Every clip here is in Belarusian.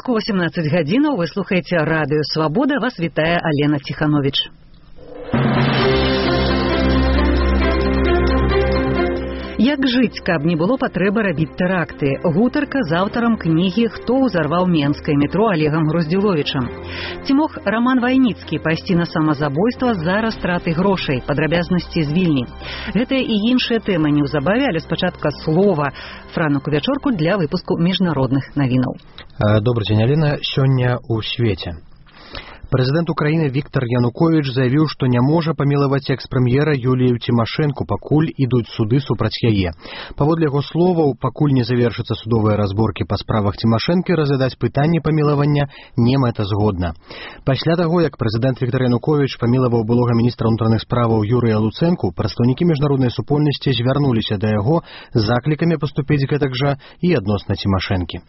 Беларуску 18 гадзінаў вы слухаеце радыё Свабода. Вас вітае Алена Ціхановіч. Як жыць, каб не было патрэбы рабіць тэракты? Гутарка з аўтарам кнігі «Хто ўзарваў менскае метро» Олегам Груздзіловічам. Ці мог Роман Вайніцкі пайсці на самазабойства з-за растраты грошай, падрабязнасці з Вільні? Гэтыя і іншыя тэмы неўзабаве, але спачатку слова Франу Кувячорку для выпуску міжнародных навінаў. Добрый дзень, Алена. Сёння ў свеце. Прэзідэнт Украіны Віктор Януковіч заявіў, што не можа памілаваць экс-прэм'ера Юлію Цімашэнку, пакуль ідуць суды супраць яе. Паводле яго словаў, пакуль не завершацца судовыя разборкі па справах Цімашэнкі, разглядаць пытанне памілавання не мэтазгодна. Пасля таго, як прэзідэнт Віктор Януковіч памілаваў былога міністра ўнутраных справаў Юрыя Луцэнку, прадстаўнікі міжнароднай супольнасці звярнуліся да яго з заклікамі паступіць гэтак жа і адносна Цімашэнкі.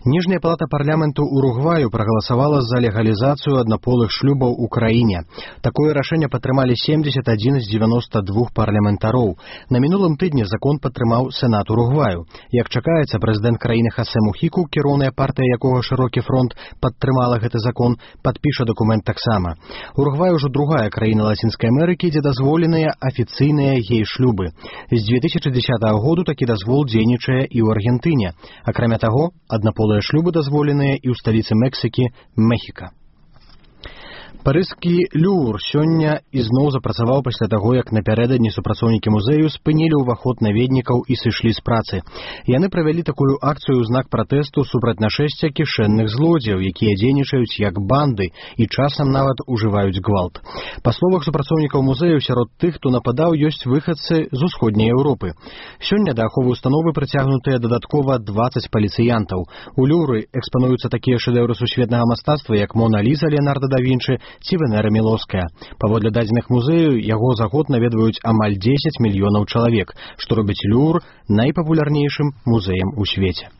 Ніжняя палата парламенту Уругваю прагаласавала за легалізацыю аднаполых шлюбаў у краіне. Такое рашэнне падтрымалі 71 з 92 парламентароў. На мінулым тыдні закон падтрымаў Сенат Уругваю. Як чакаецца, прэзідэнт краіны Хасе Мухіку, кіроўная партыя якога «Шырокі фронт» падтрымала гэты закон, падпіша дакумент таксама. Уругвай ужо другая краіна Лацінскай Амерыкі, дзе дазволеныя афіцыйныя гей-шлюбы. З 2010 году такі дазвол дзейнічае і ў Аргентыне. Акрамя таго, аднаполыя шлюбы дазволеныя і ў сталіцы Мексікі Мехіка. Парыжскі Лювр сёння ізноў запрацаваў пасля таго, як напярэдадні супрацоўнікі музею спынілі ўваход наведнікаў і сышлі з працы. Яны правялі такую акцыю ў знак пратэсту супраць нашэсця кішэнных злодзеяў, якія дзейнічаюць як банды і часам нават ужываюць гвалт. Па словах супрацоўнікаў музею, сярод тых, хто нападаў, ёсць выхадцы з усходняй Еўропы. Сёння да аховы установы прыцягнутыя дадаткова 20 паліцыянтаў. У Лювры экспануюцца такія шэдэўры сусветнага мастацтва, як Мона Ліза Леонардо да Вінчы ці Венера Мілоўская. Паводле дадзеных музею, яго за год наведваюць амаль 10 мільёнаў чалавек, што робіць Лювр найпапулярнейшым музеем у свеце.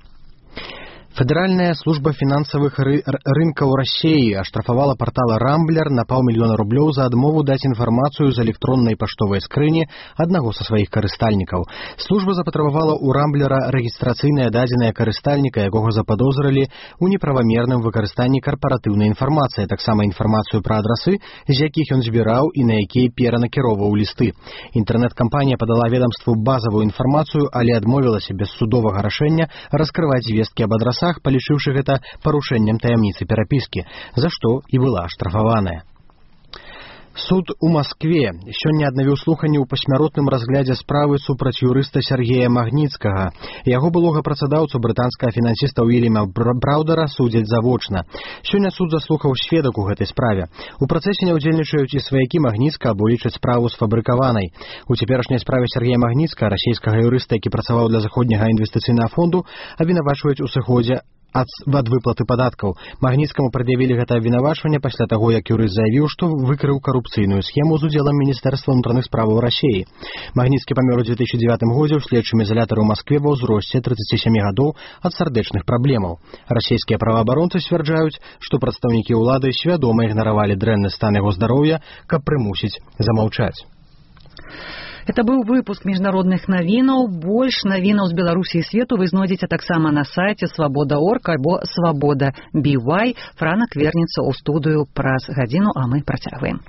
Федэральная служба фінансавых рынкаў Расіі аштрафавала партала «Рамблер» на $500 000 за адмову даць інфармацыю з электроннай паштовай скрыні аднаго са сваіх карыстальнікаў. Служба запатрабавала ў «Рамблера» рэгістрацыйныя дадзеныя карыстальніка, якога западозрылі ў неправамерным выкарыстанні карпаратыўнай інфармацыі, таксама інфармацыю пра адрасы, з якіх ён збіраў і на якія перанакіроўваў лісты. Інтэрнэт-кампанія падала ведамству базавую інфармацыю, але адмовілася без судовага рашэння раскрываць звесткі аб адрасах, палічыўшы гэта парушэннем таямніцы перапіскі, за што і была аштрафаваная. Суд у Маскве сёння аднавіў слуханні ў пасмяротным разглядзе справы супраць юрыста Сергея Магніцкага. Яго былога працадаўцу брытанскага фінансіста Уільяма Браўдера судзяць завочна. Сёння суд заслухаў сведак у гэтай справе. У працэсе не ўдзельнічаюць і сваякі Магніцка, або лічаць справу сфабрыкаванай. У цяперашняй справе Сергея Магніцка, расійскага юрыста, які працаваў для заходняга інвестыцыйнага фонду, абвінавачваюць у сыходзе ад выплаты падаткаў. Магніцкаму прад'явілі гэта абвінавачванне пасля таго, як юрыст заявіў, што выкрыў карупцыйную схему з удзелам Міністэрства ўнутраных справаў Расіі. Магніцкі памёр у 2009 годзе ў следчым ізалятары ў Маскве ва ўзросце 37 гадоў ад сардэчных праблемаў. Расійскія праваабаронцы сцвярджаюць, што прадстаўнікі ўлады свядома ігнаравалі дрэнны стан яго здароўя, каб прымусіць замаўчаць. Это быў выпуск міжнародных навінаў. Больш навінаў з Беларусі і свету вы знойдзеце таксама на сайце Свабода.орг альбо Свабода.BY. Франак вернецца ў студыю праз гадзіну, а мы працягваем.